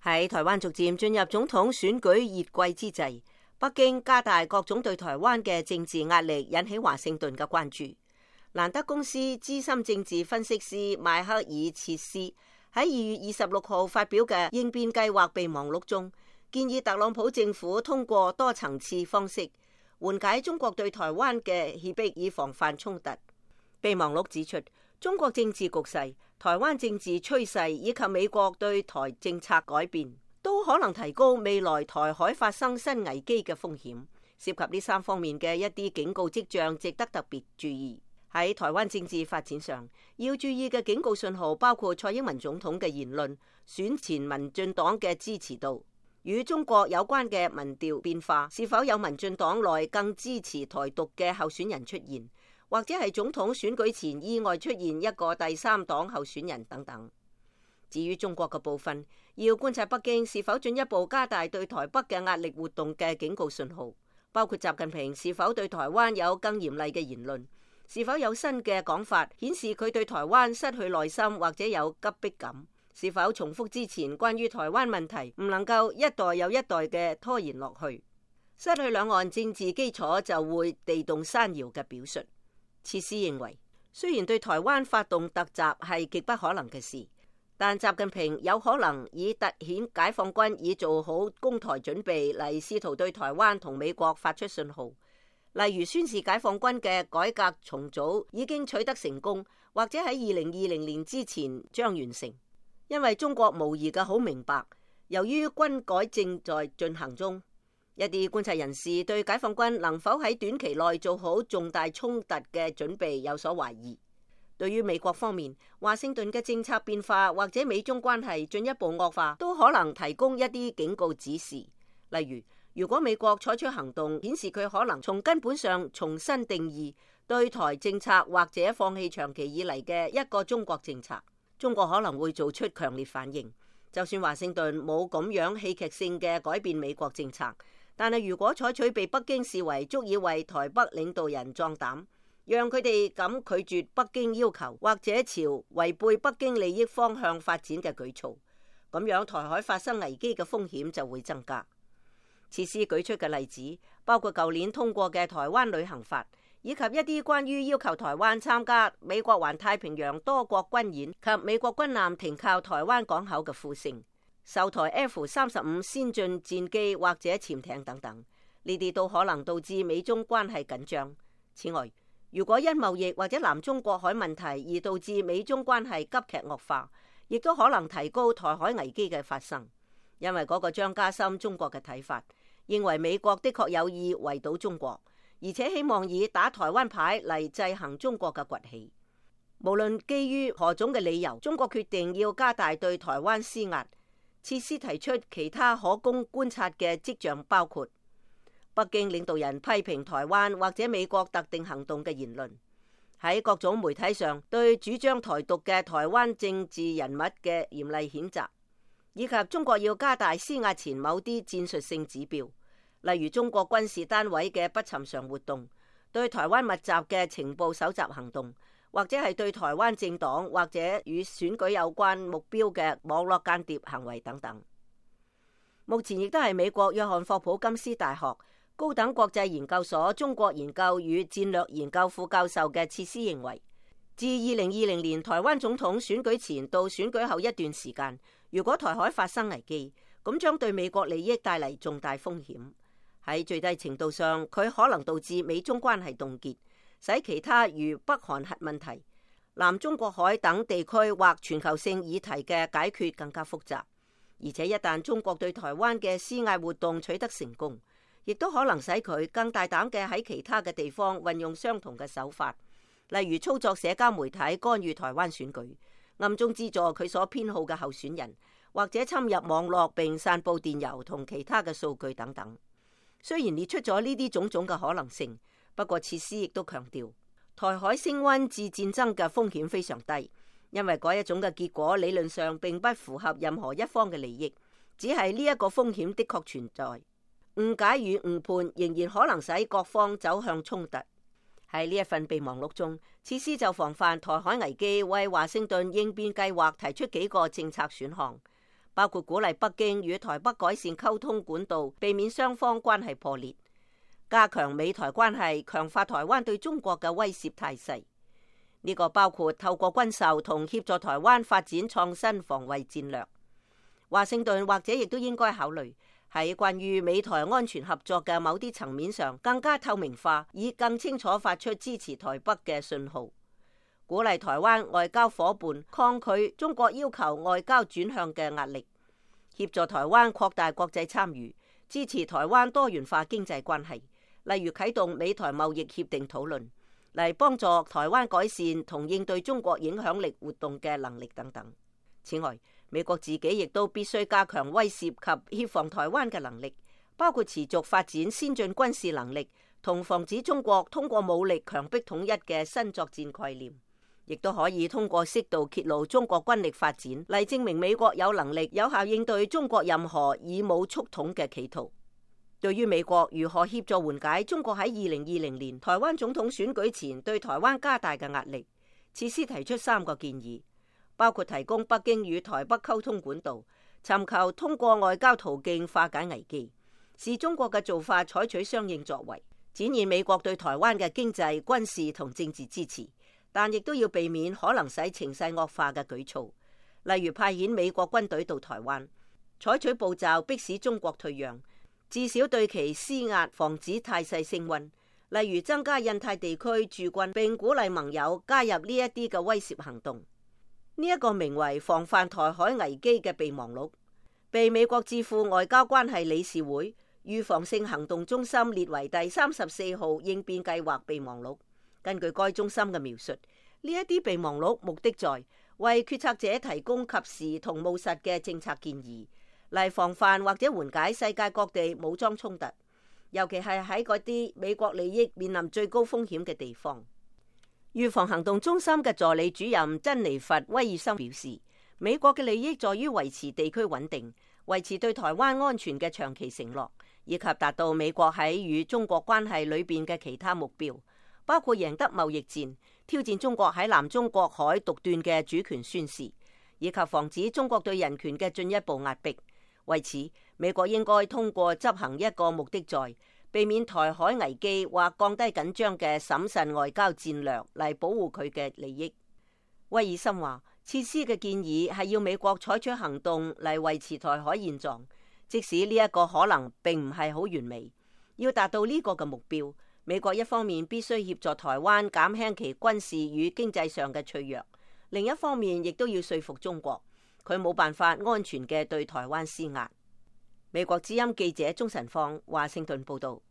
喺台灣逐漸進入總統選舉熱季之際，北京加大各種對台灣嘅政治壓力，引起華盛頓嘅關注。蘭德公司資深政治分析師邁克爾切斯喺2月26號發表嘅應變計劃備忘錄中，建議特朗普政府通過多層次方式緩解中國對台灣嘅脅迫，以防範衝突。備忘錄指出，中國政治局勢、台灣政治趨勢以及美國對台政策改變，都可能提高未來台海發生新危機嘅風險。涉及呢3方面嘅一啲警告跡象，值得特別注意。喺台灣政治發展上，要注意嘅警告信號包括蔡英文總統嘅言論、選前民進黨嘅支持度、與中國有關嘅民調變化、是否有民進黨內更支持台獨嘅候選人出現，或者係總統選舉前意外出現一個第3黨候選人等等。至於中國嘅部分，要觀察北京是否進一步加大對台北嘅壓力活動嘅警告信號，包括習近平是否對台灣有更嚴厲嘅言論，是否有新嘅講法顯示佢對台灣失去耐心或者有急迫感，是否重複之前關於台灣問題唔能夠一代又一代嘅拖延落去，失去兩岸政治基礎就會地動山搖嘅表述。切斯認為，雖然對台灣發動突襲係極不可能嘅事，但習近平有可能以凸顯解放軍已做好攻台準備嚟試圖對台灣同美國發出信號，例如宣示解放軍嘅改革重組已經取得成功，或者喺2020年之前將完成。因為中國無疑嘅好明白，由於軍改正在進行中，一啲觀察人士對解放軍能否喺短期內做好重大衝突嘅準備有所懷疑。對於美國方面，華盛頓嘅政策變化或者美中關係進一步惡化，都可能提供一啲警告指示。例如，如果美國採取行動顯示佢可能從根本上重新定義對台政策，或者放棄長期以嚟嘅一個中國政策，中國可能會做出強烈反應。就算華盛頓冇咁樣戲劇性嘅改變美國政策，但係如果採取被北京視為足以為台北領導人壯膽，讓佢哋敢拒絕北京要求，或者朝違背北京利益方向發展嘅舉措，咁樣台海發生危機嘅風險就會增加。切斯舉出嘅例子包括舊年通過嘅台灣旅行法，以及一啲關於要求台灣參加美國環太平洋多國軍演及美國軍艦停靠台灣港口嘅呼聲，售台 F-35先進戰機或者潛艇等等，呢啲都可能導致美中關係緊張。此外，如果因貿易或者南中國海問題而導致美中關係急劇惡化，亦都可能提高台海危機嘅發生，因為嗰個將加深中國嘅睇法，認為美國的確有意圍堵中國，而且希望以打台灣牌嚟制衡中國嘅崛起。無論基於何種嘅理由，中國決定要加大對台灣施壓。切斯提出其他可供觀察嘅跡象，包括北京領導人批評台灣或者美國特定行動嘅言論，喺各種媒體上對主張台獨嘅台灣政治人物嘅嚴厲譴責，以及中國要加大施壓前某啲戰術性指標，例如中國軍事單位嘅不尋常活動、對台灣密集嘅情報搜集行動，或者係對台灣政黨或者與選舉有關目標嘅網絡間諜行為等等。目前亦都係美國約翰霍普金斯大學高等國際研究所中國研究與戰略研究副教授嘅切斯認為，自2020年台灣總統選舉前到選舉後一段時間，如果台海發生危機，咁將對美國利益帶嚟重大風險。喺最低程度上，佢可能導致美中關係凍結，使其他如北韓核問題、南中國海等地區或全球性議題嘅解決更加複雜。而且一旦中國對台灣嘅施壓活動取得成功，亦都可能使佢更大膽嘅喺其他嘅地方運用相同嘅手法，例如操作社交媒體干預台灣選舉，暗中資助佢所偏好嘅候選人，或者侵入網絡並散佈電郵同其他嘅數據等等。雖然列出咗呢啲種種嘅可能性，不過切斯亦都強調，台海升溫至戰爭嘅風險非常低，因為嗰一種嘅結果理論上並不符合任何一方嘅利益，只係呢一個風險的確存在。誤解與誤判仍然可能使各方走向衝突。喺呢一份備忘錄中，切斯就防範台海危機為華盛頓應變計劃提出幾個政策選項，包括鼓勵北京與台北改善溝通管道，避免雙方關係破裂；加強美台關係，強化台灣對中國嘅威懾態勢。呢個包括透過軍售同協助台灣發展創新防衛戰略。華盛頓或者亦都應該考慮喺關於美台安全合作嘅某啲層面上更加透明化，以更清楚發出支持台北嘅信號，鼓勵台灣外交夥伴抗拒中國要求外交轉向嘅壓力，協助台灣擴大國際參與，支持台灣多元化經濟關係，例如啟動美台貿易協定討論，嚟幫助台灣改善同應對中國影響力活動嘅能力等等。此外，美國自己亦都必須加強威懾及協防台灣嘅能力，包括持續發展先進軍事能力同防止中國通過武力強迫統一嘅新作戰概念，亦都可以通過適度揭露中國軍力發展嚟證明美國有能力有效應對中國任何以武促統嘅企圖。對於美國如何協助緩解中國喺2020年台灣總統選舉前對台灣加大嘅壓力，切斯提出3個建議，包括提供北京與台北溝通管道，尋求通過外交途徑化解危機，視中國嘅做法採取相應作為，展現美國對台灣嘅經濟、軍事同政治支持，但亦都要避免可能使情勢惡化嘅舉措，例如派遣美國軍隊到台灣，採取步驟迫使中國退讓，至少對其施壓，防止態勢升溫，例如增加印太地區駐軍，並鼓勵盟友加入呢一啲嘅威懾行動。呢一個名為防範台海危機嘅備忘錄，被美國智庫外交關係理事會預防性行動中心列為第34號應變計劃備忘錄。根據該中心嘅描述，呢一啲備忘錄目的在為決策者提供及時同務實嘅政策建議，嚟防範或者緩解世界各地武裝衝突，尤其係喺嗰啲美國利益面臨最高風險嘅地方。預防行動中心嘅助理主任珍妮佛·威爾森表示，美國嘅利益在於維持地區穩定，維持對台灣安全嘅長期承諾，以及達到美國喺與中國關係裏邊嘅其他目標，包括贏得貿易戰、挑戰中國喺南中國海獨斷嘅主權宣示，以及防止中國對人權嘅進一步壓迫。為此，美國應該通過執行一個目的在避免台海危機或降低緊張嘅審慎外交戰略嚟保護佢嘅利益。威爾森話，切斯嘅建議係要美國採取行動嚟維持台海現狀，即使呢一個可能並唔係好完美。要達到呢個嘅目標，美國一方面必須協助台灣減輕其軍事與經濟上嘅脆弱，另一方面亦都要說服中國，佢冇辦法安全嘅對台灣施壓。美國之音記者鍾晨放華盛頓報道。